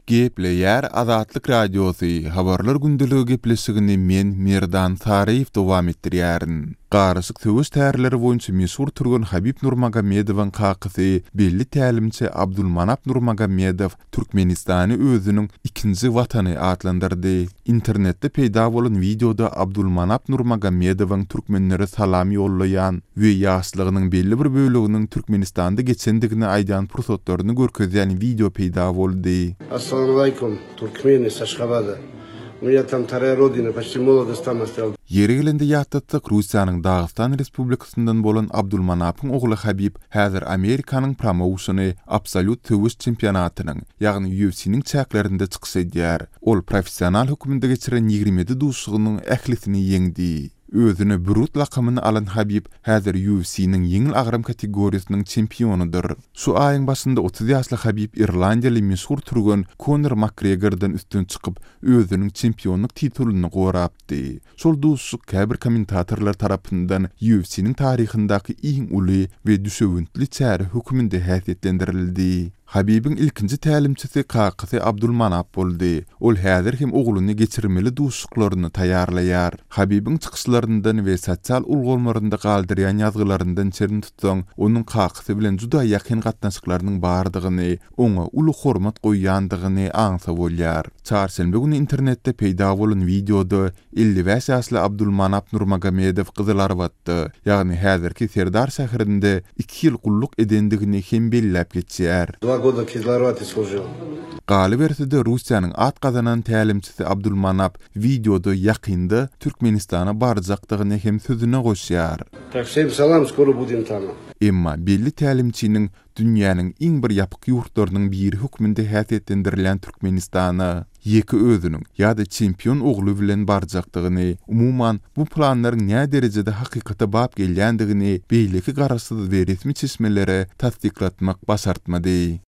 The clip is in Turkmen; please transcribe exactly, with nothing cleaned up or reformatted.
Gepleýär Azatlyk Radiosy, Habarlar gündeligi gepleşigini men, Merdan Saryýew dowam etdirýärin. Garyşyk söweş tärleri boýunça meşhur türgen Habib Nurmagomedowyň kakasy, belli tälimçi Abdulmanap Nurmagomedow Türkmenistany özüniň ikinji watany atlandyrdy. Internetde peýda bolan wideoda Abdulmanap Nurmagomedowyň türkmenlere salam ýollaýan we ýaşlygynyň belli bir böleginiň Türkmenistanda geçendigini aýdýan pursatlaryny görkezýän wideo peýda boldy. Assalamu aleýkum, Türkmeni с Ашхабада. У меня там вторая родина, почти молодость там оставил. Ýeri gelende ýatlatsak, Russiýanyň Dagystan Respublikasyndan bolan Abdulmanapyň ogly Habib häzir Amerikanyň promouşeni Absolýut söweş çempionatynyň, ýagny U F C-niň çäklerinde çykyş edýär. Ol professional hökmünde geçiren ýigrimi ýedi duşuşygynyň ählisini ýeňdi. Özüne Brute lakamyny alan Habib häzir U F C-niň ýeňil agram kategoriýasynyň çempionydyr. Şu aýyň başynda otuz ýaşly Habib irlandiýaly meşhur türgen Konor Makgregordan üstün çykyp, özüniň çempionlyk titulyny gorapdy. Şol duşuşyk käbir kommentatorlar tarapyndan U F C-niň taryhyndaky iň uly we düşewüntli çäre hökmünde häsiýetlendirildi. Habibiň ilkinji tälimçisi kakasy Abdulmanap boldy. Ol häzir hem ogluny geçirmeli duşuşyklaryny taýýarlaýar. Habibiň çykyşlaryndan we sosial ulgamlarynda galdyrýan ýazgylaryndan çen tutsaň, onuň kakasy bilen juda ýakyn gatnaşyklarynyň bardygyny, oňa uly hormat goýýandygyny aňsa bolýar. Çarşenbe güni internetde peýda bolan wideoda elli bäş ýaşly Abdulmanap Nurmagomedow Gyzylarbatda, ýagny häzirki Serdar şäherinde iki ýyl gulluk edendigini hem belläp geçýär. Два года в Кизиларбате служил. Galyberse-de Russiýanyň at gazanan tälimçisi Abdulmanap wideoda ýakynda Türkmenistana barjakdygyny hem sözüne goşýar. Так, всем salam, skoro budem tam. Emma belli tälimçiniň dünýäniň iň bir ýapyk ýurtlarynyň biri hökmünde häsiýetlendirilýän Türkmenistana ýeke özüniň ýa-da çempion ogly bilen barjakdygyny, umuman bu planlaryň nä derejede hakykata bap gelýändigini beýleki garaşsyz we resmi çeşmelere tassyklatmak başartmady.